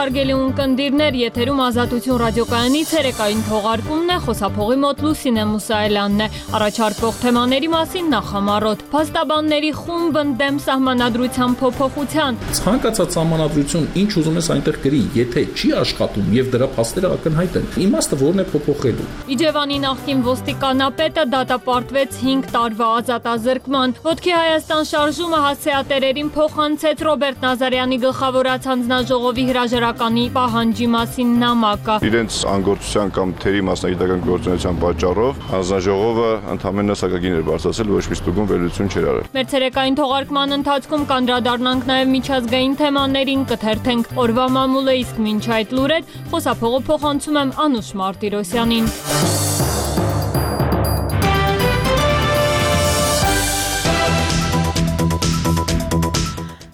հարգելի ունկնդիրներ, եթերում Ազատություն ռադիոկայանի ցերեկային թողարկումն է, խոսափողի մոտ Լուսինե Մուսայելյանն է։ Առաջարկվող թեմաների մասին նախամարոտ։ Փաստաբանների խումբ ընդդեմ սահմանադրության փոփոխության։ Ցանկացած սահմանադրություն, ինչ ուզում ես այնտեղ գրի, եթե չի աշխատում եւ դրա փաստերը ակնհայտ են, իմաստը որն է փոփոխելու։ Իջևանի նախկին ոստիկանապետը դատապարտվեց 5 տարվա ազատազրկման։ Ոտքի Հայաստան շարժումը հասցեատերերին փոխանցեց Ռոբերտ Նազարյանի գլխավորած հանձնաժողովի հրաժարականի պահանջի մասին նամակը։ Իրենց անգործության կամ թերի մասնագիտական գործունեության պատճառով հանձնաժողովը ընդհանրապես սակագին էր բարձրացել, ոչ մի ստուգում վերլուծություն չէր արել։ Մեր ցերեկային թողարկման ընթացքում կանդրադառնանք նաև միջազգային թեմաներին, կթերթենք օրվա մամուլը, իսկ մինչ այդ լուրեր խոսափողը փոխանցում եմ Անուշ Մարտիրոսյանին։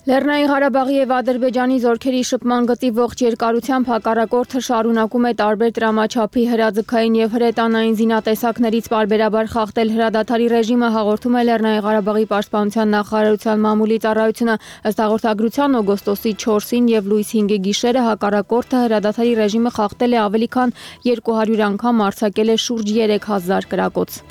Լեռնային Ղարաբաղի եւ Ադրբեջանի զորքերի շփման գծի ողջ երկարությամբ հակառակորդը շարունակում է տարբեր տրամաչափի հրաձգային եւ հրետանային զինատեսակներից պարբերաբար խախտել հրադադարի ռեժիմը, հաղորդում է Լեռնային Ղարաբաղի պաշտպանության նախարարության մամուլի ծառայությունը։ Ըստ հաղորդագրության օգոստոսի 4-ին եւ լույս 5-ի գիշերը հակառակորդը հրադադարի ռեժիմը խախտել է ավելի քան 200 անգամ, արձակել է շուրջ 3000 կրակոց։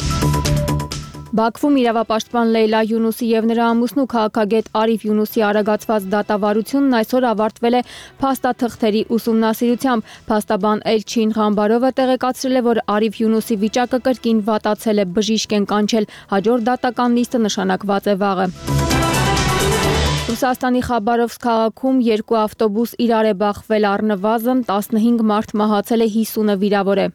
Բաքվում իրավապաշտպան Լեյլա Յունուսի եւ նրա ամուսնու քաղաքագետ Արիֆ Յունուսի արագացված դատավարությունն այսօր ավարտվել է փաստաթղթերի ուսումնասիրությամբ։ Փաստաբան Էլչին Ղամբարովը տեղեկացրել է, որ Արիֆ Յունուսի վիճակը կրկին վատացել է, բժիշկ են կանչել, հաջորդ դատական նիստը նշանակված է վաղը։ Ռուսաստանի Խաբարովսկ քաղաքում 2 ավտոբուս իրար է բախվել, առնվազն 15 մարդ մահացել է, 50-ը վիրավոր է։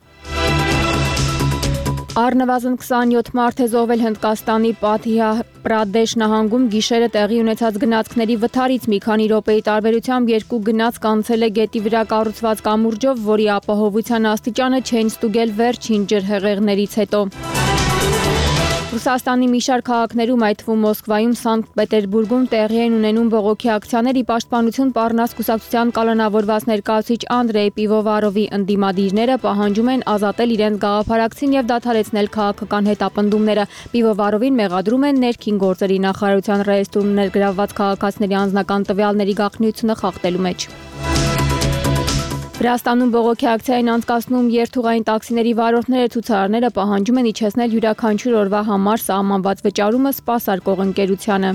Առնվազն 27 մարդ է զոհվել Հնդկաստանի Պատհիա Պրադեշ նահանգում գիշերը տեղի ունեցած գնացքների վթարից մի քանի րոպեի տարբերությամբ 2 գնացք անցել է գետի վրա կառուցված կամուրջով, որի ապահովության աստիճանը չեն ստուգել վերջին ջրհեղեղներից հետո։ Ռուսաստանի մի շարք քաղաքներում, այդ թվում Մոսկվայում, Սանկտ Պետերբուրգում տեղի են ունենում բողոքի ակցիաների պաշտպանություն Պառնաս կուսակցության կալանավորված ներկայացուցիչ Անդրեյ Պիվովարովի ընդդիմադիրները պահանջում են ազատել իրենց գաղափարակցին եւ դադարեցնել քաղաքական հետապնդումները։ Պիվովարովին մեղադրում են ներքին գործերի նախարարության ռեեստրում ներգրավված քաղաքացիների անձնական տվյալների գաղտնիությունը խախտելու մեջ։ Վրաստանում բողոքի ակցիա են անցկացնում երթուղային տաքսիների վարորդները, ցուցարարները պահանջում են իջեցնել յուրաքանչյուր օրվա համար սահմանված վճարումը սպասարկող ընկերությանը։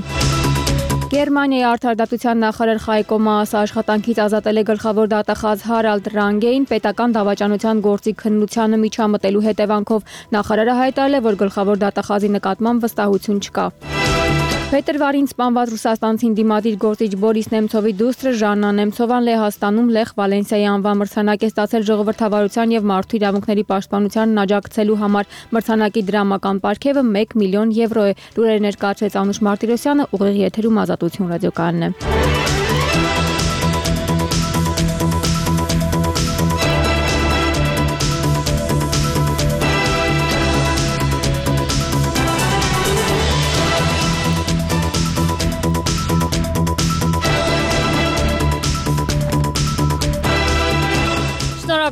Գերմանիայի արդարադատության նախարար Խայկո Մաասը աշխատանքից ազատել է գլխավոր դատախազ Հարալդ Ռանգեին պետական դավաճանության գործի քննությանը միջամտելու հետևանքով։ Նախարարը հայտարարել է, որ գլխավոր դատախազի նկատմամբ վստահություն չկա։ Փետրվարին սպանված ռուսաստանցին դիմադիր գործիչ Բորիս Նեմցովի դուստրը Ժաննա Նեմցովան Լեհաստանում Լեխ Վալենսիայի անվան մրցանակ է ստացել ժողովրդավարության եւ մարդու իրավունքների պաշտպանությանն աջակցելու համար։ Մրցանակի դրամական պարգևը 1 միլիոն եվրո է։ Լուրերը ներկայացրեց Անուշ Մարտիրոսյանը, ուղիղ եթերում Ազատություն ռադիոկայանն է։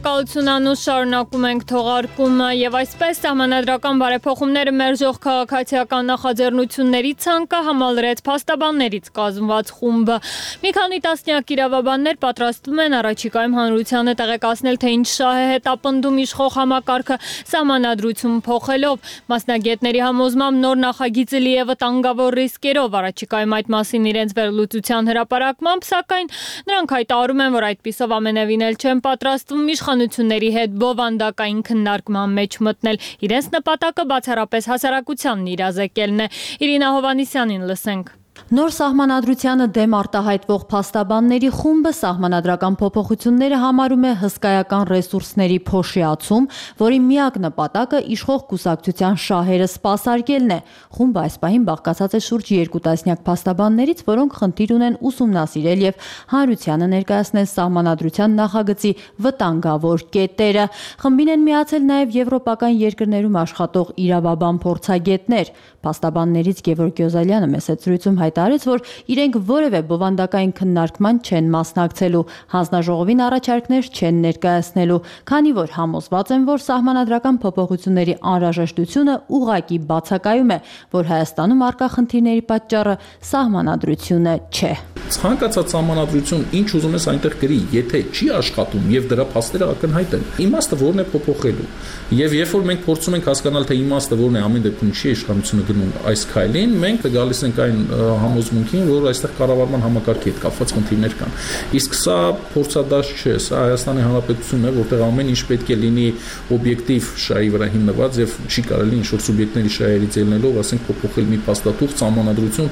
Շնորհակալություն Անուշ, շարունակում ենք թողարկումը եւ այսպես սահմանադրական բարեփոխումները մերժող քաղաքացիական նախաձեռնությունների ցանկը համալրեց փաստաբաններից կազմված խումբը։ Մի քանի տասնյակ իրավաբաններ պատրաստվում են առաջիկայում հանրությանը տեղեկացնել, թե ինչ շահ է հետապնդում իշխող համակարգը սահմանադրություն փոխելով։ Մասնագետների համոզմամբ նոր նախագիծը լի է վտանգավոր ռիսկերով, առաջիկայում այդ մասին իրենց վերլուծության հրապարակմամբ, սակայն նրանք հայտարարում են, որ այդպիսով ամենևին էլ չեն պատրաստվում իշխանությունների հետ բովանդակային քննարկման մեջ մտնել։ Իրենց նպատակը բացառապես հասարակությանն իրազեկելն է։ Իրինա Հովանիսյանին լսենք։ Նոր սահմանադրությանը դեմ արտահայտվող փաստաբանների խումբը սահմանադրական փոփոխությունները համարում է հսկայական ռեսուրսների փոշիացում, որի միակ նպատակը իշխող կուսակցության շահերը սպասարկելն է։ Խումբը այս պահին բաղկացած է շուրջ 2 տասնյակ փաստաբաններից, որոնք խնդիր ունեն ուսումնասիրել եւ հանրությանը ներկայացնել սահմանադրության նախագծի վտանգավոր կետերը։ Խմբին են միացել նաեւ եվրոպական երկրներում աշխատող իրավաբան փորձագետներ։ Փաստաբաններից Գևորգ Գյոզալյանը մեծ զրույցում հայտարարեց, որ իրենք որևէ բովանդակային քննարկման չեն մասնակցելու, հանձնաժողովին առաջարկներ չեն ներկայացնելու, քանի որ համոզված են, որ սահմանադրական փոփոխությունների անհրաժեշտությունը ուղղակի բացակայում է, որ Հայաստանում առկա խնդիրների պատճառը սահմանադրությունը չէ։ Ցանկացած սահմանադրություն ինչ ուզում ես այնտեղ գրի, եթե չի աշխատում եւ դրա փաստերը ակնհայտ են, իմաստը որն է փոփոխելու։ Եվ երբ որ մենք փորձում ենք հասկանալ թե իմաստը որն է, ամեն դեպքում չի իշխանությունը գնում այս քայլին, մենք գալիս ենք այն համոզմունքին, որ այստեղ կառավարման համակարգի հետ կապված խնդիրներ կան։ Իսկ սա փորձադաշ չէ, սա Հայաստանի Հանրապետությունն է, որտեղ ամեն ինչ պետք է լինի օբյեկտիվ շահի վրա հիմնված եւ չի կարելի ինչ-որ սուբյեկտների շահերից ելնելով, ասենք, փոփոխել մի փաստաթուղթ, սահմանադրություն,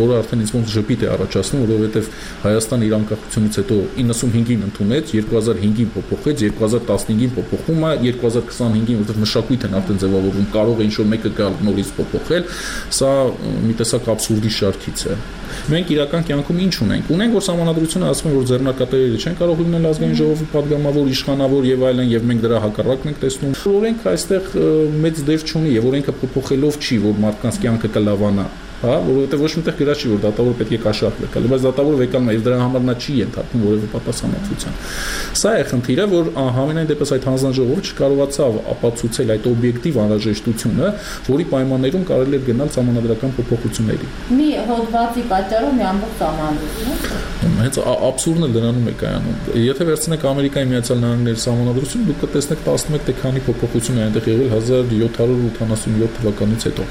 որը արդեն ինձ ոնց ժպիտ է առաջացնում, որովհետեւ Հայաստանը իր անկախությունից հետո 95-ին ընդունեց, 2005-ին փոփոխեց, 2015-ին փոփոխում է, 2025-ին, որտեղ մշակույթ են արդեն ձևավորվում, կարող է ինչ-որ մեկը գալ նորից փոփոխել, սա մի տեսակ աբսուրդի շարքից է։ Մենք իրական կյանքում ինչ ունենք։ Ունենք, որ սահմանադրությունը ասում է, որ ձեռնարկատերերը չեն կարող լինել ազգային ժողովի падգամավոր, իշխանավոր եւ այլն, եւ մենք դրա հակառակն ենք տեսնում։ Օրենքը այստեղ մեծ դեր չունի եւ օրենքը փոփոխելով չի, որ մարդկանց կյանքը կլավանա։ Հա, որովհետեւ ոչ միտեղ գրած չի, որ դատավորը պետք է կաշառք վեկալ, բայց դատավորը վեկալում է եւ դրա համար նա չի ենթարկվում որևէ պատասխանատվության։ Սա է խնդիրը, որ համենայն դեպս այդ հանձնաժողովը չկարողացավ ապացուցել այդ օբյեկտիվ անհրաժեշտությունը, որի պայմաններում կարելի է գնալ սահմանադրական փոփոխությունների։ Մի հոդվածի պատճառով մի ամբողջ սահմանադրություն։ Հենց աբսուրդն է դրանում է կայանում։ Եթե վերցնեք Ամերիկայի Միացյալ Նահանգների սահմանադրությունը, դուք կտեսնեք 11 թե քանի փոփոխություն է այնտեղ եղել 1787 թվականից հետո։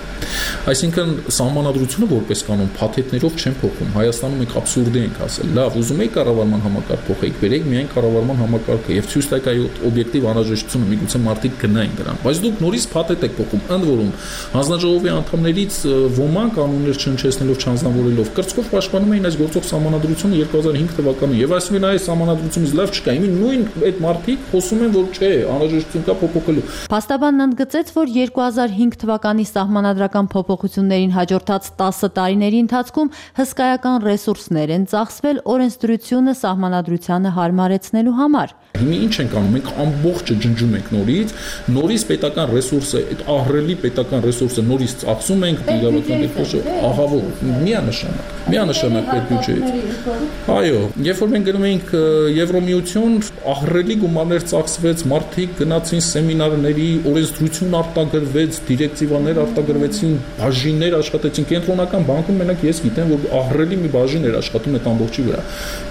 Այսինքն սահմանադրությունը որպես կանոն փաթեթներով չեն փոխում։ Հայաստանում մենք աբսուրդի ենք ասել։ Լավ, ուզում եք կառավարման համակարգ փոխեք, բերեք միայն կառավարման համակարգը եւ ցույց տայք այդ օբյեկտիվ անհրաժեշտությունը, միգուցե մարդիկ գնային դրան։ Բայց դուք նորից փաթեթ եք փոխում, ընդ որում հանձնաժողովի անդամներից ոմանք կանոններ չհնչեցնելով, չանձնավորելով կրծքով պաշտպանում էին այս գործող սահմանադրությունը 2005 թվականին եւ ասում են այս սահմանադրությունից լավ չկա։ Իմի նույն այդ մարդիկ խոսում են, որ չէ, անհրաժեշտություն կա փոփոխելու։ Փաստաբանն ընդգծեց, որ 2005 թվականի սահմանադրական փոփոխություններին հաջորդած 10 տարիների ընթացքում հսկայական ռեսուրսներ են ծախսվել օրենսդրությունը սահմանադրությանը հարմարեցնելու համար։ Հիմա ինչ ենք անում, մենք ամբողջը ջնջում ենք նորից պետական ռեսուրսը, այդ ահռելի պետական ռեսուրսը նորից ծախսում ենք իրավական դեպքերում, ահավոր, միանշանակ պետբյուջեից։ Այո, երբ որ մենք գնում էինք Եվրոմիություն, ահռելի գումարներ ծախսվեց, մարդիկ գնացին սեմինարների, օրենսդրություն արտագրվեց, դիրեկտիվաներ արտագրվեցին, բաժիններ աշխատեցին, կենտրոնական բանկում մենակ ես գիտեմ, որ ահռելի մի բաժին էր աշխատում այդ ամբողջի վրա։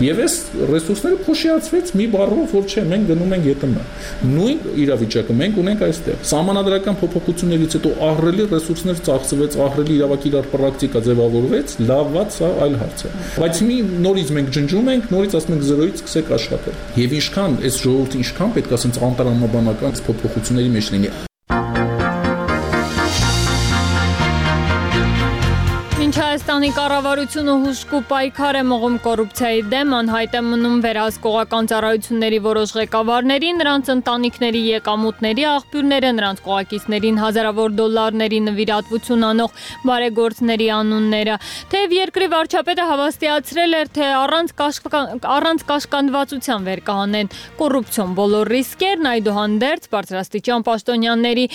Եվ այս ռեսուրսները փոշիացվեց մի բառով, որ չէ, մենք գնում ենք ԵՏՄ։ Նույն իրավիճակը մենք ունենք այստեղ։ Սահմանադրական փոփոխություններից հետո ահռելի ռեսուրսներ ծախսվեց, ահռելի իրավակիրառ պրակտիկա ձևավորվեց, լավված սա այլ հարց է։ Բայց մի նորից մենք ջնջում ենք, նորից ասում ենք 0-ից սկսեք աշխատել։ Եվ ինչքան այս ժողովուրդը ինչքան պետք է ասենց անտարամաբանական փոփոխությունների մեջ լինի։ Հայաստանի կառավարությունը հուժկու պայքար է մղում կոռուպցիայի դեմ, անհայտ է մնում վերահսկողական ծառայությունների որոշ ղեկավարների, նրանց ընտանիքների եկամուտների աղբյուրները, նրանց կողակիցներին հազարավոր դոլարների նվիրատվություն անող բարեգործների անունները։ Թեև երկրի վարչապետը հավաստիացրել էր, թե առանց կաշկանդվածության վեր կհանեն կոռուպցիոն բոլոր ռիսկերն, այդուհանդերձ բարձրաստիճան պաշտոնյաների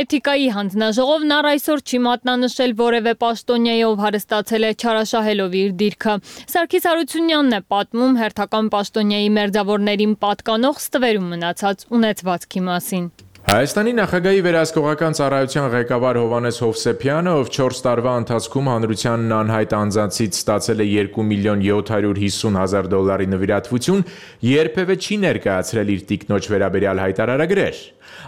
էթիկայի հանձնաժողովն առ այսօր չի մատնանշել որևէ պաշտոնյայով հարստացել է չարաշահելով իր դիրքը։ Սարգիս Հարությունյանն է պատմում հերթական պաշտոնյայի մերձավորներին պատկանող ստվերում մնացած ունեցվածքի մասին։ Հայաստանի նախագահի վերահսկողական ծառայության ղեկավար Հովհաննես Հովսեփյանը, ով 4 տարվա ընթացքում հանրությանն անհայտ անձանցից ստացել է 2.750.000 դոլարի նվիրատվություն, երբևէ չի ներկայացրել իր տիկնոջ վերաբերյալ հայտարարագրեր։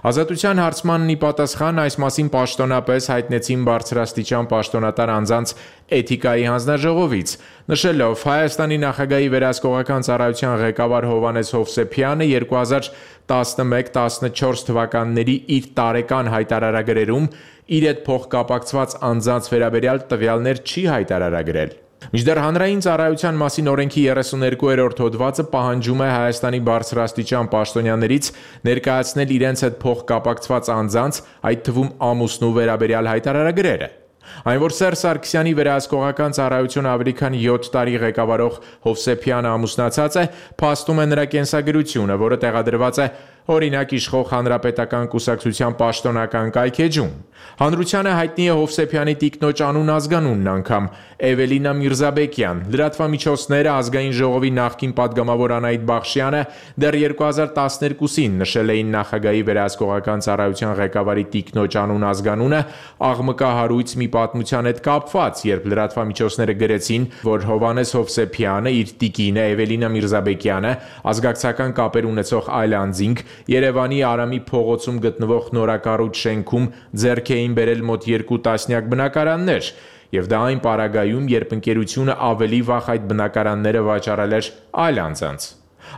Ազատության հարցմանն ի պատասխան այս մասին պաշտոնապես հայտնեցին բարձրաստիճան պաշտոնատար անձանց էթիկայի հանձնաժողովից, նշելով Հայաստանի նախագահի վերահսկողական ծառայության ղեկավար Հովհաննես Հովսեփյանը 2011-14 թվականների իր տարեկան հայտարարագրերում իր հետ փոխկապակցված անձանց վերաբերյալ տվյալներ չի հայտարարագրել։ Մինչդեռ հանրային ծառայության մասին օրենքի 32-րդ հոդվածը պահանջում է Հայաստանի բարձրաստիճան պաշտոնյաներից ներկայացնել իրենց հետ փոխկապակցված անձանց, այդ թվում ամուսնու վերաբերյալ հայտարարագրերը։ Այն որ Սերժ Սարգսյանի վերահսկողական ծառայությունը ավելի քան 7 տարի ղեկավարող Հովսեփյանը ամուսնացած է, փաստում է նրա կենսագրությունը, որը տեղադրված է օրինակ իշխող հանրապետական կուսակցության պաշտոնական կայքեջում։ Հանրությանը հայտնի է Հովսեփյանի տիկնոջ անուն ազգանունն անգամ՝ Էվելինա Միրզաբեկյան։ Լրատվամիջոցները ազգային ժողովի նախկին պատգամավոր Անահիտ Բախշյանը դեռ 2012-ին նշել էին նախագահի վերահսկողական ծառայության ղեկավարի տիկնոջ անուն ազգանունը աղմկահարույց մի պատմության հետ կապված, երբ լրատվամիջոցները գրեցին, որ Հովհաննես Հովսեփյանը իր տիկինը Էվելինա Միրզաբեկյանը ազգակցական կապեր ունեցող այլ անձինք Երևանի Արամի փողոցում գտնվող նորակառույց շենքում ձեռք էին բերել մոտ 2 տասնյակ բնակարաններ, եւ դա այն պարագայում, երբ ընկերությունը ավելի վաղ այդ բնակարանները վաճառել էր այլ անձանց։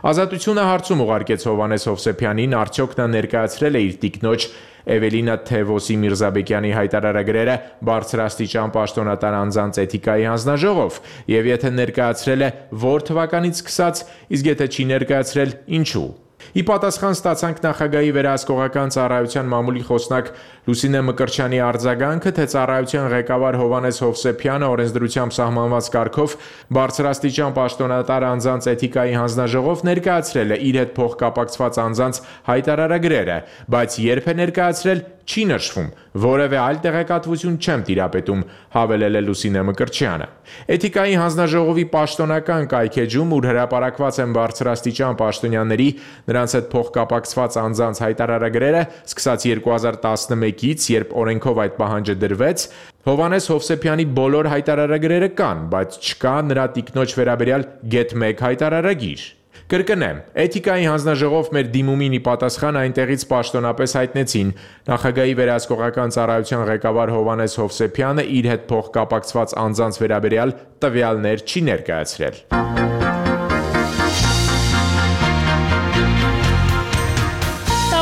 Ազատությունը հարցում ուղարկեց Հովհաննես Հովսեփյանին, արդյոք նա ներկայացրել է իր տիկնոջ Էվելինա Թևոսի Միրզաբեկյանի հայտարարագրերը բարձրաստիճան պաշտոնատար անձանց էթիկայի հանձնաժողով, եւ եթե ներկայացրել է, որ թվականից սկսած, իսկ եթե չի ներկայացրել, ինչու։ Ի պատասխան ստացանք նախագահի վերահսկողական ծառայության մամուլի խոսնակ Լուսինե Մկրտչյանի արձագանքը, թե ծառայության ղեկավար Հովհաննես Հովսեփյանը օրենսդրությամբ սահմանված կարգով բարձրաստիճան պաշտոնատար անձանց էթիկայի հանձնաժողով ներկայացրել է իր հետ փոխկապակցված անձանց հայտարարագրերը, բայց երբ է ներկայացրել, չի նշվում, որևէ այլ տեղեկատվություն չեմ տիրապետում, հավելել է Լուսինե Մկրտչյանը։ Էթիկայի հանձնաժողովի պաշտոնական կայքեջում, ուր հրապարակված են բարձրաստիճան պաշտոնյաների, նրանց հետ փոխկապակցված անձանց հայտարարագրերը, սկսած 2011-ից, երբ օրենքով այդ պահանջը դրվեց, Հովհաննես Հովսեփյանի բոլոր հայտարարագրերը կան, բայց չկա նրա տիկնոջ վերաբերյալ գեթ-1 հայտարարագիր։ Կրկնեմ, էթիկայի հանձնաժողով մեր դիմումին ի պատասխան այնտեղից պաշտոնապես հայտնեցին նախագահի վերահսկողական ծառայության ղեկավար Հովհաննես Հովսեփյանը իր հետ փոխկապակցված անձանց վերաբերյալ տվյալներ չի ներկայացրել։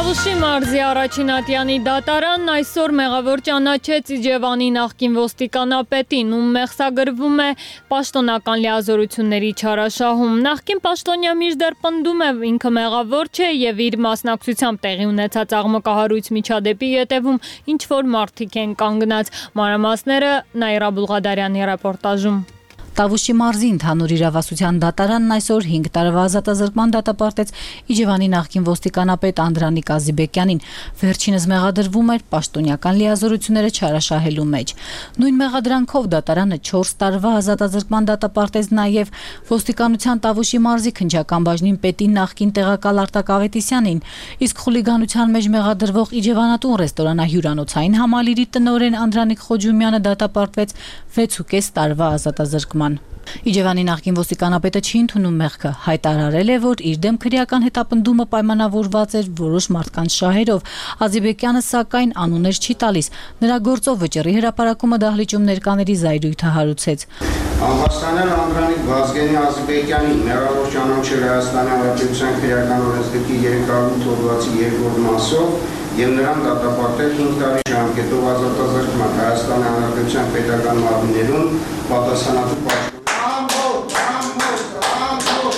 Տավուշի մարզի Առաջինատյանի դատարանն այսօր մեղավոր ճանաչեց Իջևանի նախկին ոստիկանապետին, ում մեղսագրվում է պաշտոնական լիազորությունների չարաշահում։ Նախկին պաշտոնյա մինչդեռ պնդում է ինքը մեղավոր չէ եւ իր մասնակցությամբ տեղի ունեցած աղմկահարույց միջադեպի ետևում ինչ որ մարդիկ են կանգնած։ Մանրամասները Նաիրա Բուլղադարյանի ռեպորտաժում։ Տավուշի մարզի ընդհանուր իրավասության դատարանն այսօր 5 տարվա ազատազրկման դատապարտեց Իջևանի նախկին ոստիկանապետ Անդրանիկ Ազիբեկյանին, վերջինս մեղադրվում էր պաշտոնյական լիազորությունները չարաշահելու մեջ։ Նույն մեղադրանքով դատարանը 4 տարվա ազատազրկման դատապարտեց նաև ոստիկանության Տավուշի մարզի քննչական բաժնին պետի նախկին տեղակալ Արտակ Ավետիսյանին, իսկ խուլիգանության մեջ մեղադրվող Իջևանատուն ռեստորանահյուրանոցային համալիրի տնօրեն Անդրանիկ Խոջումյանը դատապարտվեց 6.5 տարվա ազատազրկման։ Իջևանի նախկին ոստիկանապետը չի ընդունում մեղքը, հայտարարել է, որ իր դեմ քրեական հետապնդումը պայմանավորված էր որոշ մարդկանց շահերով։ Ազիբեկյանը սակայն անուններ չի տալիս։ Նրա գործով վճռի հրապարակումը դահլիճում ներկաների զայրույթը հարուցեց։ Անհասկանալ Անդրանիկ Վազգենի Ազիբեկյանի մեղավոր ճանաչել Հայաստանի Հանրապետության քրեական օրենսգրքի 308 հոդվածի 2-րդ մասով եւ նրան դատապարտել 5 տարի ժամկետով ազատազրկման Հայաստանի Հանրապետության պետական մարմիններում պատասխանատու պաշտոնյա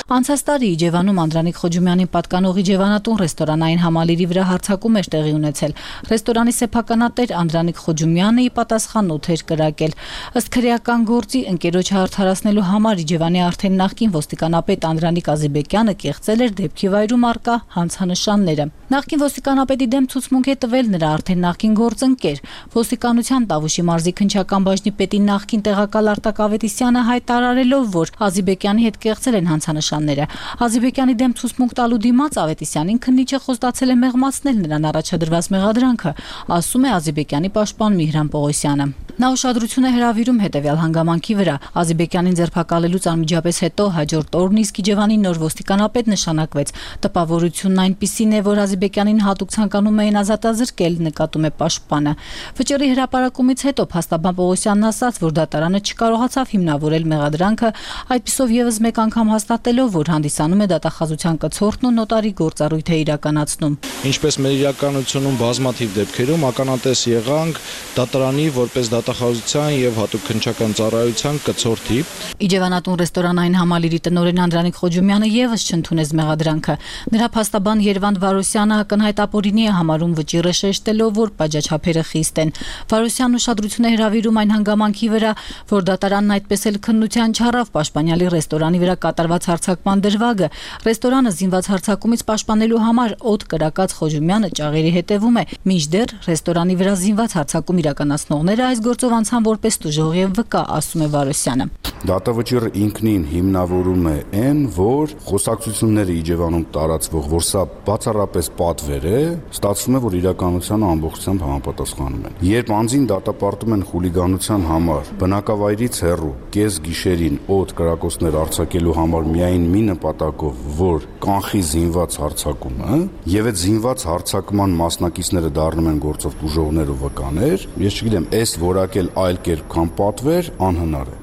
Անցած տարի Իջևանում Անդրանիկ Խոջումյանին պատկանող Իջևանատուն ռեստորանային համալիրի վրա հարձակում էր տեղի ունեցել։ Ռեստորանի սեփականատեր Անդրանիկ Խոջումյանը ի պատասխան օդ էր կրակել։ Ըստ քրեական գործի ընկերոջը հարթարացնելու համար Իջևանի արդեն նախկին ոստիկանապետ Անդրանիկ Ազիբեկյանը կեղծել էր դեպքի վայրում առկա հանցանշանները։ Նախկին ոստիկանապետի դեմ ցուցմունք է տվել նրա արդեն նախկին գործընկեր։ Ոստիկանության Տավուշի մարզի քննչական բաժնի պետի նախկին տեղակալ Արտակ Ավետիսյանը հայտարարելով, որ Ազիբեկյանի հետ կեղծել են հանցանշանները։ Ազիբեկյանի դեմ ցուցմունք տալու դիմաց Ավետիսյանին քննիչը խոստացել է մեղմացնել նրան առաջադրված մեղադրանքը, ասում է Ազիբեկյանի պաշտպան Միհրան Պողոսյանը։ Նա ուշադրություն է հրավիրում հետևյալ հանգամանքի վրա։ Ազիբեկյանին ձերբակալելուց անմիջապես հետո հաջորդ օրն իսկ Իջևանի նոր ոստիկանապետ նշանակվեց։ Տպավորությունն այնպիսին է, որ Ազիբեկյանին հատուկ ցանկանում էին ազատազրկել, նկատում է պաշտպանը։ Վճռի հրապարակումից հետո փաստաբան Պողոսյանն ասաց, որ դատարանը չկարողացավ հիմնավորել մեղադրանքը, այդպիսով եւս մեկ անգամ հաստատելով, որ հանդիսանում է դատախազության կցորդն ու նոտարի գործառույթ է իրականացնում։ Ինչպես մեր իրականությունում բազմաթիվ դեպքերում ականատես եղանք դատարանի որպես ատախազության եւ հատուկ քննչական ծառայության կցորդի։ Իջևանատուն ռեստորանային համալիրի տնօրեն Անդրանիկ Խոջումյանը եւս չընդունեց մեղադրանքը։ Նրա փաստաբան Երվանդ Վարոսյանը ակնհայտ ապօրինի է համարում վճիռը շեշտելով, որ բաժաչափերը խիստ են։ Վարոսյանն ուշադրություն է հրավիրում այն հանգամանքի վրա, որ դատարանն այդպես էլ քննության չառավ պաշտպանյալի ռեստորանի վրա կատարված հարձակման դրվագը։ Ռեստորանը զինված հարձակումից պաշտպանելու համար օդ կրակած Խոջումյանը ճաղերի հետևում է։ Մինչդեռ ռեստորանի վրա զինված հարձակում իրականացնողները այս գործով անցան որպես տուժող եւ վկա, ասում է Վարոսյանը։ Դատավճիռը ինքնին հիմնավորում է այն, որ խոսակցությունները Իջևանում տարածվող, որ սա բացառապես պատվեր է, ստացվում է, որ իրականությանը ամբողջությամբ համապատասխանում են։ Երբ անձին դատապարտում են խուլիգանության համար, բնակավայրից հեռու, կես գիշերին օդ կրակոցներ արձակելու համար միայն մի նպատակով, որ կանխի զինված հարձակումը, եւ այդ զինված հարձակման մասնակիցները դառնում են գործով տուժողներ ու վկաներ, ես չգիտեմ, այս որակել այլ կերպ քան պատվեր անհնար է։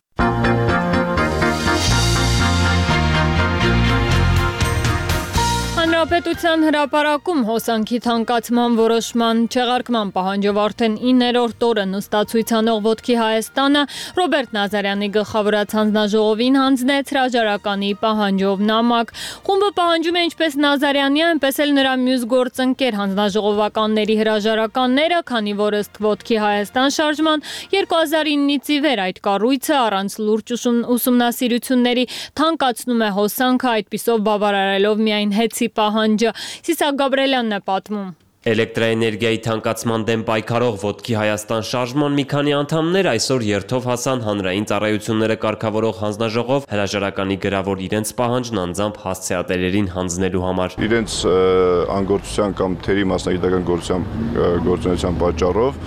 Հանրապետության հրապարակում հոսանքի թանկացման որոշման չեղարկման պահանջով արդեն 9-րդ օրը նստացույց անող Ոտքի Հայաստանը Ռոբերտ Նազարյանի գլխավորած հանձնաժողովին հանձնեց հրաժարականի պահանջով նամակ։ Խումբը պահանջում է ինչպես Նազարյանի, այնպես էլ նրա մյուս գործընկեր հանձնաժողովականների հրաժարականները, քանի որ ըստ Ոտքի Հայաստան շարժման 2009-ից ի վեր այդ կառույցը առանց լուրջ ուսումնասիրությունների թանկացնում է հոսանքը, այդպիսով բավարարելով միայն հեծի պահանջը։ Սիսակ Գաբրելյանն է պատմում։ Էլեկտրաէներգիայի թանկացման դեմ պայքարող Ոտքի Հայաստան շարժման մի քանի անդամներ այսօր երթով հասան հանրային ծառայությունները կարգավորող հանձնաժողով հրաժարականի գրավոր իրենց պահանջն անձամբ հասցեատերերին հանձնելու համար։ Իրենց անգործության կամ թերի մասնագիտական գործունեության պատճառով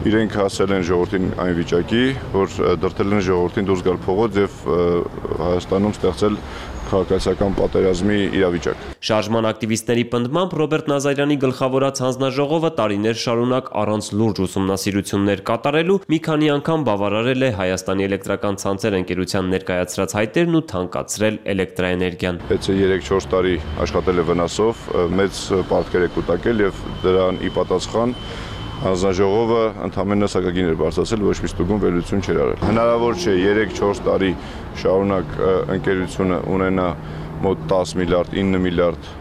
իրենք հասել են ժողովրդին այն վիճակի, որ դրդել են ժողովրդին դուրս գալ փողոց եւ Հայաստանում ստեղծել քաղաքացիական պատերազմի իրավիճակ։ Շարժման ակտիվիստների պնդմամբ Ռոբերտ Նազարյանի գլխավորած հանձնաժողովը տարիներ շարունակ առանց լուրջ ուսումնասիրություններ կատարելու մի քանի անգամ բավարարել է Հայաստանի էլեկտրական ցանցեր ընկերության ներկայացրած հայտերն ու թանկացրել էլեկտրաէներգիան։ Հենց 3-4 տարի աշխատել է վնասով, մեծ պարտքեր է կուտակել եւ դրան ի պատասխան հանձնաժողովը ընդհանրապես սակագին էր բարձրացել, ոչ մի ստուգում վերլուծություն չէր արել։ Հնարավոր չէ 3-4 տարի շարունակ ընկերությունը ունենա մոտ 10 միլիարդ, 9 միլիարդ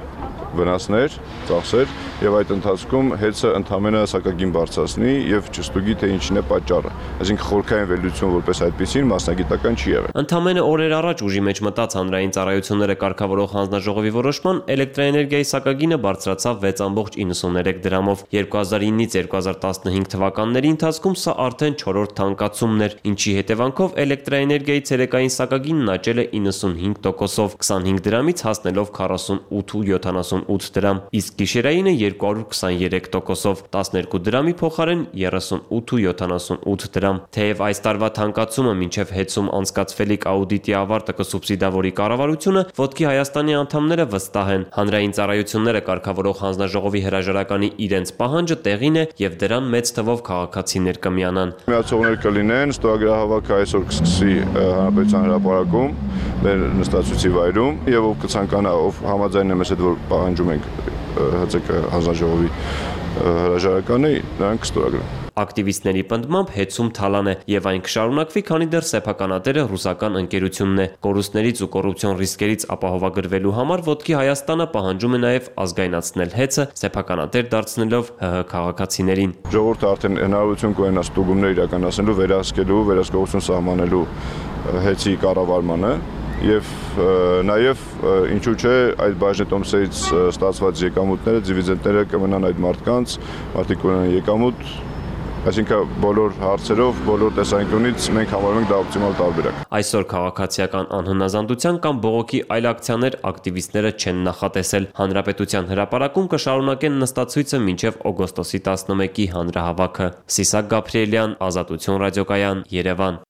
վնասներ, ծախսեր եւ այդ ընթացքում հեծը ընդհանրապես սակագին բարձրացնի եւ չստուգի թե ինչն է պատճառը։ Այսինքն խորքային վերլուծություն որպես այդպեսին մասնագիտական չի եղել։ Ընդամենը օրեր առաջ ուժի մեջ մտած հանրային ծառայությունները կարգավորող հանձնաժողովի որոշման էլեկտրաէներգիայի սակագինը բարձրացավ 6.93 դրամով։ 2009-ից 2015 թվականների ընթացքում սա արդեն 4-րդ թանկացումն էր, ինչի հետևանքով էլեկտրաէներգիայի ցերեկային սակագինն աճել է 95%-ով, 25 դրամից հասնելով 48.78 դրամ, իսկ գիշերայինը 223%-ով, 12 դրամի փոխարեն 38.78 դրամ։ Թեև այս տարվա թանկացումը մինչև հեծում անցկացվելիք աուդիտի ավարտը կսուբսիդավորի կառավարությունը, Ոտքի Հայաստանի անդամները վստահ են, հանրային ծառայությունները կարգավորող հանձնաժողովի հրաժարականի իրենց պահանջը տեղին է եւ դրան մեծ թվով քաղաքացիներ կմիանան։ Միացողներ կլինեն, ստորագրահավաքը այսօր կսկսի Հանրապետության հրապարակում, մեր նստացույցի վայրում եւ ով կցանկանա, ով համաձայն է մեզ հետ, որ պահանջում ենք ՀԾԿ հանձնաժողովի հրաժարականը, նրանք կստորագրեն։ Ակտիվիստների պնդմամբ հեծում թալան է եւ այն կշարունակվի, քանի դեռ սեփականատերը ռուսական ընկերությունն է։ Կորուստներից ու կոռուպցիոն ռիսկերից ապահովագրվելու համար Ոտքի Հայաստանը պահանջում է նաեւ ազգայնացնել հեծը, սեփականատեր դարձնելով ՀՀ քաղաքացիներին։ Ժողովուրդը արդեն հնարավորություն կունենա ստուգումներ իրականացնելու, վերահսկելու, վերահսկողություն սահմանելու հեծի կառավարմանը եւ նաեւ ինչու՞ չէ այդ բաժնետոմսերից ստացված եկամուտները, դիվիդենդները կմնան այդ մարդկանց, մարդիկ ունեն եկամուտ, այսինքն բոլոր հարցերով, բոլոր տեսանկյունից մենք համարում ենք դա օպտիմալ տարբերակ։ Այսօր քաղաքացիական անհնազանդության կամ բողոքի այլ ակցիաներ ակտիվիստները չեն նախատեսել։ Հանրապետության հրապարակում կշարունակեն նստացույցը մինչև օգոստոսի 11-ի հանրահավաքը։ Սիսակ Գաբրելյան, Ազատություն ռադիոկայան, Երևան։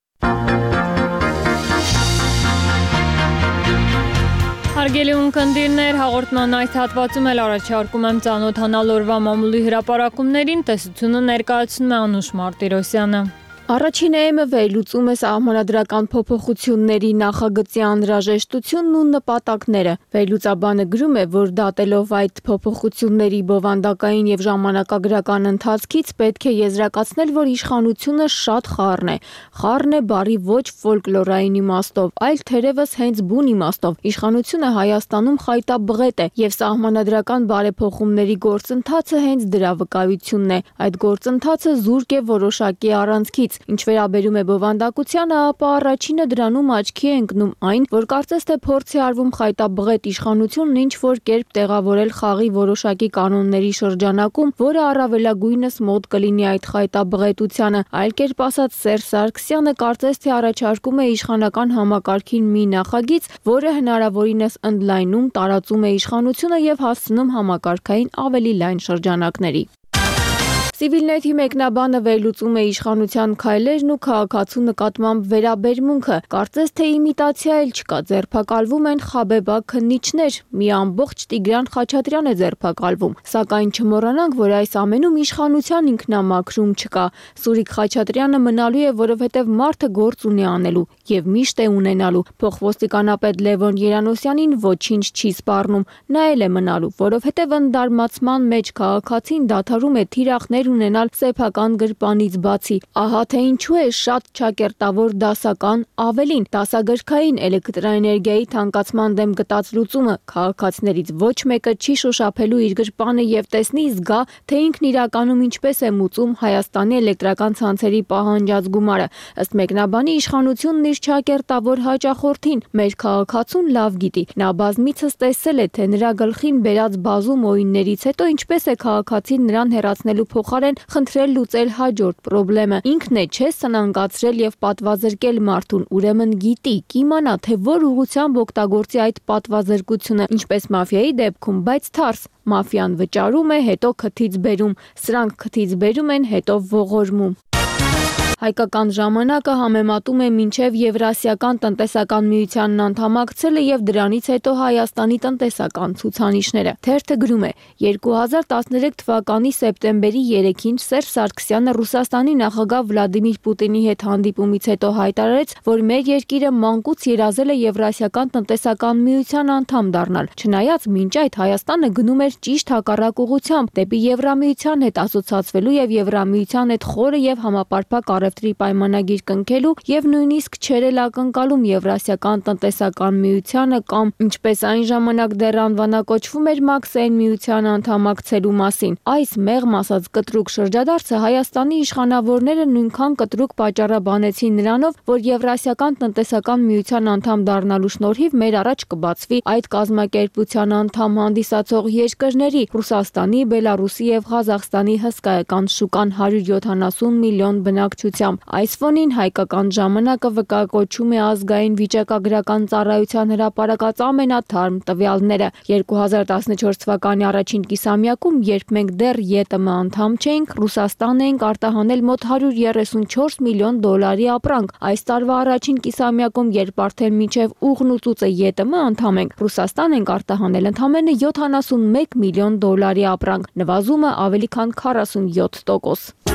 Հարգելի ունկնդիրներ, հաղորդման այս հատվածում էլ առաջարկում եմ ծանոթանալ օրվա մամուլի հրապարակումներին, տեսությունը ներկայացնում է Անուշ Մարտիրոսյանը։ Առաջին էմը վերլուծում է սահմանադրական փոփոխությունների նախագծի անհրաժեշտությունն ու նպատակները։ Վերլուծաբանը գրում է, որ դատելով այդ փոփոխությունների բովանդակային եւ ժամանակագրական ընթացքից պետք է եզրակացնել, որ իշխանությունը շատ խառն է։ Խառն է բառի ոչ ֆոլկլորային իմաստով, այլ թերևս հենց բուն իմաստով։ Իշխանությունը Հայաստանում խայտաբղետ է եւ սահմանադրական բարեփոխումների գործընթացը հենց դրա վկայությունն է։ Այդ գործընթացը զուրկ է որոշակի առանցքից։ Ինչ վերաբերում է բովանդակությանը, ապա առաջինը դրանում աչքի է ընկնում այն, որ կարծես թե փորձ է արվում խայտաբղետ իշխանությունն ինչ որ կերպ տեղավորել խաղի որոշակի կանոնների շրջանակում, որը առավելագույնս մոտ կլինի այդ խայտաբղետությանը։ Այլ կերպ ասած, Սերժ Սարգսյանը կարծես թե առաջարկում է իշխանական համակարգին մի նախագիծ, որը հնարավորինս ընդլայնում, տարածում է իշխանությունը եւ հասցնում համակարգային ավելի լայն շրջանակների։ Civilnet-ի մեկնաբանը վերլուծում է իշխանության քայլերն ու քաղաքացու նկատմամբ վերաբերմունքը։ Կարծես թե իմիտացիա էլ չկա, ձերբակալվում են խաբեբա քննիչներ, մի ամբողջ Տիգրան Խաչատրյան է ձերբակալվում։ Սակայն չմոռանանք, որ այս ամենում իշխանության ինքնամաքրում չկա։ Սուրիկ Խաչատրյանը մնալու է, որովհետև մարդը գործ ունի անելու եւ միշտ է ունենալու։ Փոխոստիկանապետ Լևոն Երանոսյանին ոչինչ չի սպառնում, նա էլ է մնալու, որովհետև ընդդարմացման մեջ քաղաքացին դադարում է թիրախներ ունենալ սեփական գրպանից բացի։ Ահա թե ինչու է շատ ճակերտավոր դասական, ավելին դասագրքային էլեկտրաէներգիայի թանկացման դեմ գտած լուծումը քաղաքացիներից ոչ մեկը չի շոշափելու իր գրպանը եւ տեսնի զգա, թե ինքն իրականում ինչպես է մուծում Հայաստանի էլեկտրական ցանցերի պահանջած գումարը։ Ըստ մեկնաբանի իշխանությունն իր ճակերտավոր հաճախորդին մեր քաղաքացուն լավ գիտի։ Նա բազմիցս տեսել է, թե նրա գլխին բերած բազում օիններից հետո ինչպես է քաղաքացին նրան հեռացնելու փոխարեն խնդրել լուծել հաջորդ խնդրեմը։ Ինքն է չէ սնանկացրել եւ պատվազրկել մարդուն, ուրեմն գիտի, կիմանա, թե որ ուղղությամբ օգտագործի այդ պատվազրկությունը, ինչպես մաֆիայի դեպքում, բայց թարս։ Մաֆիան վճարում է, հետո քթից բերում, սրանք քթից բերում են, հետո ողորմում։ Հայկական ժամանակը համեմատում է մինչև Եվրասիական տնտեսական միությանն անդամակցելը եւ դրանից հետո Հայաստանի տնտեսական ցուցանիշները։ Թերթը գրում է. 2013 թվականի սեպտեմբերի 3-ին Սերժ Սարգսյանը Ռուսաստանի նախագահ Վլադիմիր Պուտինի հետ հանդիպումից հետո հայտարարեց, որ մեր երկիրը մանկուց երազել է Եվրասիական տնտեսական միության անդամ դառնալ։ Չնայած մինչ այդ Հայաստանը գնում էր ճիշտ հակառակ ուղղությամբ՝ դեպի Եվրամիության հետ ասոցացվելու եւ Եվրամիության հետ խորը եւ համապարփակ առևտրի պայմանագիր կնքելու եւ նույնիսկ չեր էլ ակնկալում Եվրասիական տնտեսական միությանը կամ ինչպես այն ժամանակ դեռ անվանակոչվում էր Մաքսային միությանը անդամակցելու մասին։ Այս մեղմ ասած կտրուկ շրջադարձը Հայաստանի իշխանավորները նույնքան կտրուկ պատճառաբանեցին նրանով, որ Եվրասիական տնտեսական միության անդամ դառնալու շնորհիվ մեր առաջ կբացվի այդ կազմակերպության անդամ հանդիսացող երկրների Ռուսաստանի, Բելարուսի եւ Ղազախստանի հսկայական շուկան 170 միլիոն բնակչությամբ։ Այս ֆոնին հայկական ժամանակը վկայակոչում է ազգային վիճակագրական ծառայության հրապարակած ամենաթարմ տվյալները։ 2014 թվականի առաջին կիսամյակում, երբ մենք դեռ ԵՏՄ անդամ չէինք, Ռուսաստան էինք արտահանել մոտ 134 միլիոն դոլարի ապրանք։ Այս տարվա առաջին կիսամյակում, երբ արդեն մինչև ուղն ու ծուծը ԵՏՄ անդամ ենք, Ռուսաստան ենք արտահանել ընդամենը 71 միլիոն դոլարի ապրանք, նվազումը ավելի քան 47%։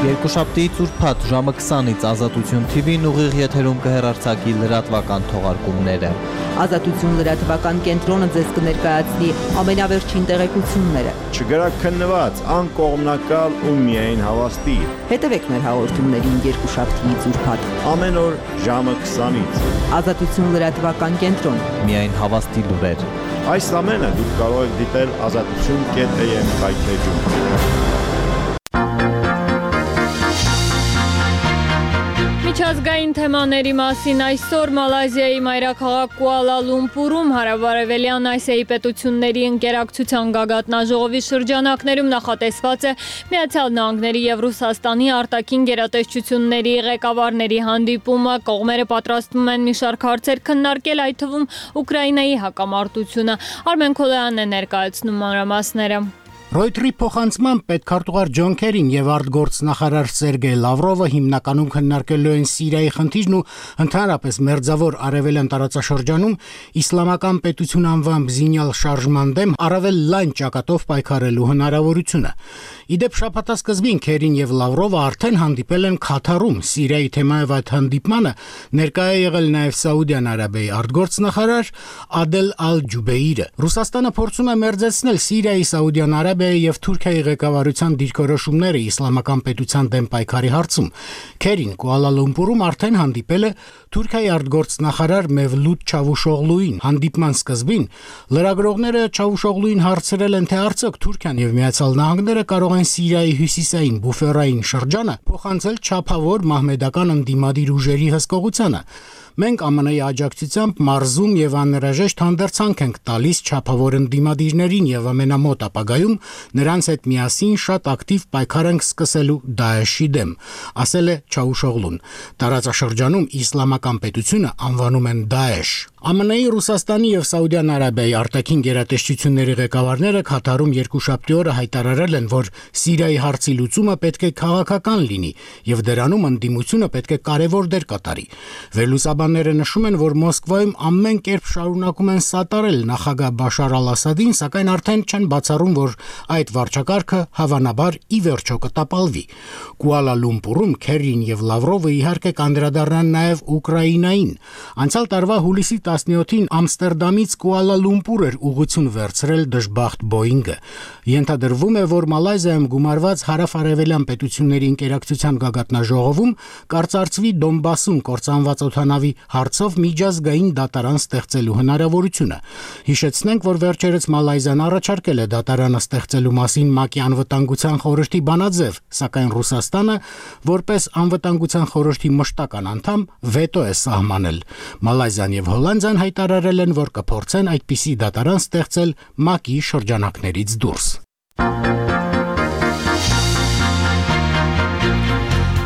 Երկուշաբթիից ուրբաթ ժամը 20-ից Ազատություն TV-ն ուղիղ եթերում կհեռարձակի լրատվական թողարկումները։ Ազատություն լրատվական կենտրոնը ձեզ կներկայացնի ամենավերջին տեղեկությունները։ Չգրակ քննված, անկողմնակալ ու միայն հավաստի։ Հետևեք մեր հաղորդումներին երկուշաբթիից ուրբաթ ամեն օր ժամը 20-ից։ Ազատություն լրատվական կենտրոն։ Միայն հավաստի լուրեր։ Այս ամենը դուք կարող եք դիտել azatutun.am հայթեջում։ Միջազգային թեմաների մասին այսօր Մալազիայի մայրաքաղաք Կուալա Լումպուրում հարավարևելյան Ասիայի պետությունների ընկերակցության գագաթնաժողովի շրջանակներում նախատեսված է Միացյալ Նահանգների եւ Ռուսաստանի արտաքին գերատեսչությունների ղեկավարների հանդիպումը։ Կողմերը պատրաստվում են մի շարք հարցեր քննարկել, այդ թվում Ուկրաինայի հակամարտությունը։ Արմեն Քոլյանն է ներկայացնում մանրամասները։ Ռոյթերի փոխանցման պետքարտուղար Ջոն Քերին եւ արտգործնախարար Սերգեյ Լավրովը հիմնականում քննարկելու են Սիրիայի խնդիրն ու ընդհանրապես մերձավոր արևելյան տարածաշրջանում իսլամական պետություն անվամբ զինյալ շարժման դեմ առավել լայն ճակատով պայքարելու հնարավորությունը։ Իդեպ շաբաթասկզբին Քերին եւ Լավրովը արդեն հանդիպել են Քաթարում։ Սիրիայի թեմայով այդ հանդիպմանը ներկայ է եղել նաեւ Սաուդյան Արաբիայի արտգործնախարար Ադել Ալ-Ջուբեյրը։ Ռուսաստանը փորձում է մերձեցնել Սիրիայի, Սաուդյան Արաբիայի եւ Թուրքիայի ղեկավարության դիրքորոշումները իսլամական պետության դեմ պայքարի հարցում։ Քերին Կուալա Լումպուրում արդեն հանդիպել է Թուրքիայի արտգործնախարար Մևլութ Չավուշօղլուին։ Հանդիպման սկզբին լրագրողները Չավուշօղլուին հարցրել են, թե արդյոք Թուրքիան եւ Միացյալ Նահանգները կարող են Սիրիայի հյուսիսային բուֆերային շրջանը փոխանցել չափավոր մահմեդական ընդդիմադիր ուժերի հսկողությանը։ Մենք ԱՄՆ-ի աջակցությամբ մարզում եւ անհրաժեշտ հանդերձանք ենք տալիս չափավոր ընդդիմադիրներին եւ ամենամոտ ապագայում նրանց հետ միասին շատ ակտիվ պայքար ենք սկսելու Դաեշի դեմ, ասել է Չաուշօղլուն։ Տարածաշրջանում իսլամական պետությունը անվանում են Դաեշ։ ԱՄՆ-ի, Ռուսաստանի եւ Սաուդյան Արաբիայի արտաքին գերատեսչությունների ղեկավարները Քաթարում երկուշաբթի օրը հայտարարել են, որ Սիրիայի հարցի լուծումը պետք է քաղաքական լինի եւ դրանում ընդդիմությունը պետք է կարեւոր դեր կատարի։ Վերլուծաբանները նշում են, որ Մոսկվայում ամեն կերպ շարունակում են սատարել նախագահ Բաշար al-Ասադին, սակայն արդեն չեն բացառում, որ այդ վարչակարգը հավանաբար ի վերջո կտապալվի։ Կուալա Լումպուրում Քերին եւ Լավրովը իհարկե կանդրադառնան նաեւ Ուկրաինային։ Անցյալ տարվա հուլիսի 17-ին Ամստերդամից Կուալա Լումպուր էր ուղղություն վերցրել դժբախտ Բոինգը։ Ենթադրվում է, որ Մալայզիայում գումարված հարավ-արևելյան պետությունների ինտերակցիան գագաթնաժողովում կարծարծվի Դոնբասում կործանված օդանավի հարցով միջազգային դատարան ստեղծելու հնարավորությունը։ Հիշեցնենք, որ վերջերս Մալայզիան առաջարկել է դատարանը ստեղծելու մասին ՄԱԿ-ի անվտանգության խորհրդի բանաձև, սակայն Ռուսաստանը, որպես անվտանգության խորհրդի մշտական անդամ, վետո է սահմանել։ Մալայզիան եւ Հոլանդիան հայտարարել են, որ կփորձեն այդպիսի դատարան ստեղծել ՄԱԿ-ի շրջանակներից դուրս։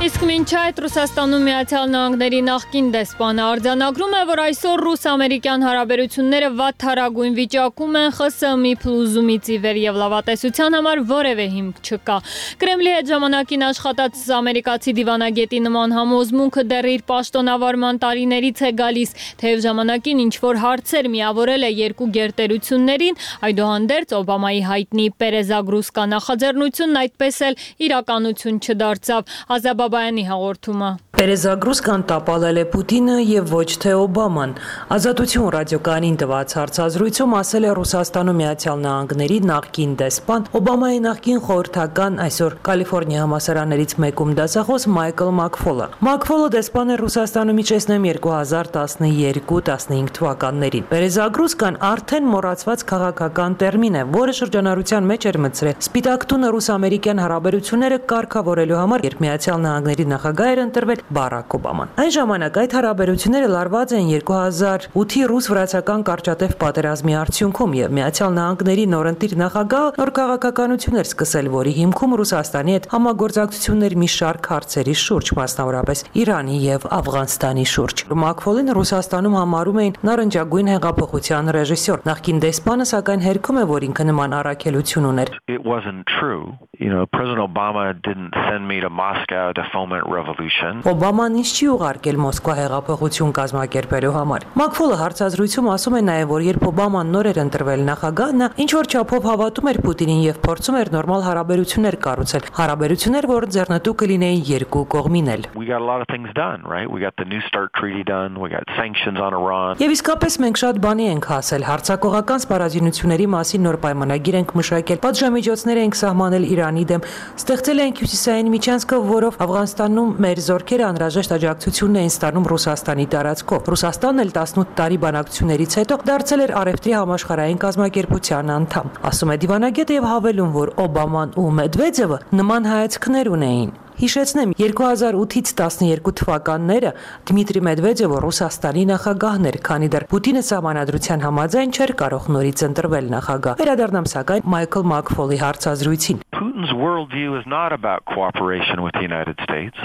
Իսկ մինչ այդ Ռուսաստանում Միացյալ Նահանգների նախկին դեսպանը արձանագրում է, որ այսօր ռուս-ամերիկյան հարաբերությունները վատթարագույն վիճակում են, ԽՍՀՄ-ի փլուզումից ի վեր եւ լավատեսության համար որևէ հիմք չկա։ Կրեմլի հետ ժամանակին աշխատած ամերիկացի դիվանագետի նման համոզմունքը դեռ իր պաշտոնավարման տարիներից է գալիս, թեև ժամանակին ինչ-որ հարցեր միավորել է երկու գերտերություններին, այդուհանդերձ Օբամայի հայտնի Պերեզագրուսկա նախաձեռնությունն այդպես էլ իրականություն չդարձավ։ Ազաբաբայանի հաղորդումը։ Պերեզագրուսկան տապալել է Պուտինը եւ ոչ թե Օբաման։ Ազատություն ռադիոկայանին տված հարցազրույցում ասել է Ռուսաստանում Միացյալ Նահանգների նախկին դեսպան, Օբամայի նախկին խորհրդական, այսօր Կալիֆոռնիա համալսարաններից մեկում դասախոս Մայքլ Մաքֆոլը։ Մաքֆոլը դեսպան է Ռուսաստանում իջեցնեմ 2012-15 թվականներին։ Պերեզագրուսկան արդեն մոռացված քաղաքական տերմին է, որը շրջանառության մեջ էր մտցրել Սպիտակ տունը ռուս-ամերիկյան հարաբերությունները կարգավորելու համար, երբ Միացյալ Նահանգների նախագահ էր ընտրվել Բարակ Օբաման։ Այն ժամանակ այդ հարաբերությունները լարված են 2008-ի ռուս-վրացական կարճատև պատերազմի արդյունքում եւ Միացյալ Նահանգների նորընտիր նախագահը նոր քաղաքականություն էր սկսել, որի հիմքում Ռուսաստանի հետ համագործակցություններ մի շարք հարցերի շուրջ, մասնավորապես Իրանի եւ Աֆղանստանի շուրջ։ Մաքֆոլին Ռուսաստանում համարում էին նարնջագույն հեղափոխության ռեժիսոր։ Նախկին դեսպանը սակայն հերքում է, որ ինքը նման առաքելություն ուներ։ It wasn't true. President Obama didn't send me to Moscow to foment revolution. Օբաման ինձ չի ուղարկել Մոսկվա հեղափոխություն կազմակերպելու համար։ Մաքֆոլը հարցազրույցում ասում է նաև, որ երբ Օբաման նոր էր ընտրվել նախագահ, նա ինչ որ չափով հավատում էր Պուտինին եւ փորձում էր նորմալ հարաբերություններ կառուցել։ Հարաբերություններ, որ ձեռնտու կլինեին երկու կողմին էլ։ We got a lot of things done, right? We got the New START treaty done, we got sanctions on Iran. Եվ իսկապես մենք շատ բանի ենք հասել, հարձակողական սպառազինությունների մասին նոր պայմանագիր ենք մշակել, պատժամիջոցներ ենք սահմանել Իրանի դեմ, ստեղծել ենք հյուսիսային միջանցքը, որով Աֆղանստանում մեր զորքերը անհրաժեշտ աջակցությունն էին ստանում Ռուսաստանի տարածքով։ Ռուսաստանն էլ 18 տարի բանակցություններից հետո դարձել էր Արևտրի համաշխարհային կազմակերպության անդամ։ Ասում է դիվանագետը եւ հավելում, որ Օբաման ու Մեդվեդևը նման հայացքներ ունեին։ Հիշեցնեմ, 2008-ից 12 թվականները Դմիտրի Մեդվեդևը Ռուսաստանի նախագահն էր, քանի դեռ Պուտինը սահմանադրության համաձայն չէր կարող նորից ընտրվել նախագահ։ Վերադառնամ սակայն Մայքլ Մաքֆոլի հարցազրույցին։ Putin's worldview is not about cooperation with the United States.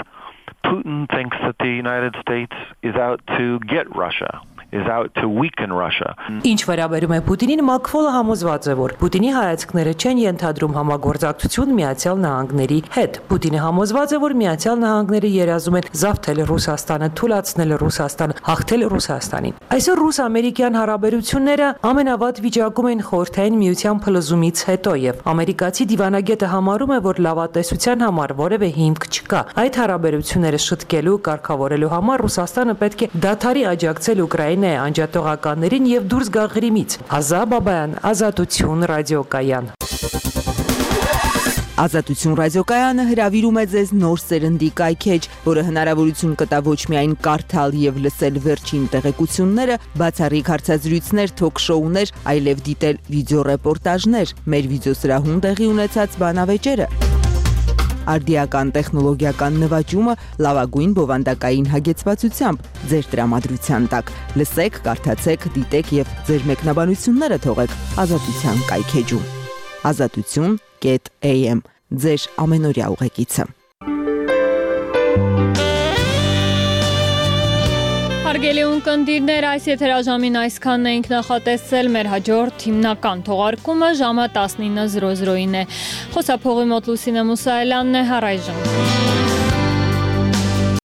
Putin thinks that the United States is out to get Russia. is out to weaken Russia. Ինչ վերաբերում է Պուտինին, Մակֆոլը համոզված է, որ Պուտինի հայացքները չեն ենթադրում համագործակցություն Միացյալ Նահանգների հետ։ Պուտինը համոզված է, որ Միացյալ Նահանգները երազում են զավթել Ռուսաստանը, թուլացնել Ռուսաստանը, հաղթել Ռուսաստանին։ Այսօր ռուս-ամերիկյան հարաբերությունները ամենավատ վիճակում են Խորհրդային Միության փլուզումից հետո եւ ամերիկացի դիվանագետը համարում է, որ լավատեսության համար որևէ հիմք չկա։ Այդ հարաբերությունները շտկելու, կարգավորելու համար Ռուսաստանը պետք է դադարի աջակցել Ուկրաինայի անջատողականներին եւ դուրս գա Ղրիմից։ Ազա Բաբայան, Ազատություն ռադիոկայան։ Ազատություն ռադիոկայանը հրավիրում է ձեզ նոր սերնդի կայքեջ, որը հնարավորություն կտա ոչ միայն կարդալ եւ լսել վերջին տեղեկությունները, բացառիկ հարցազրույցներ, թոք-շոուներ, այլև դիտել վիդեոռեպորտաժներ, մեր վիդեոսրահում տեղի ունեցած բանավեճերը։ Արդիական տեխնոլոգիական նվաճումը լավագույն բովանդակային հագեցվածությամբ ձեր տրամադրության տակ։ Լսեք, կարդացեք, դիտեք եւ ձեր մեկնաբանությունները թողեք Ազատության կայքեջում։ Ազատություն.am ձեր ամենօրյա ուղեկիցը։ Հարգելի ունկնդիրներ, այս եթերաժամին այսքանն էինք նախատեսել, մեր հաջորդ հիմնական թողարկումը ժամը 19:00-ին է։ Խոսափողի մոտ Լուսինե Մուսայելյանն է, առայժմ։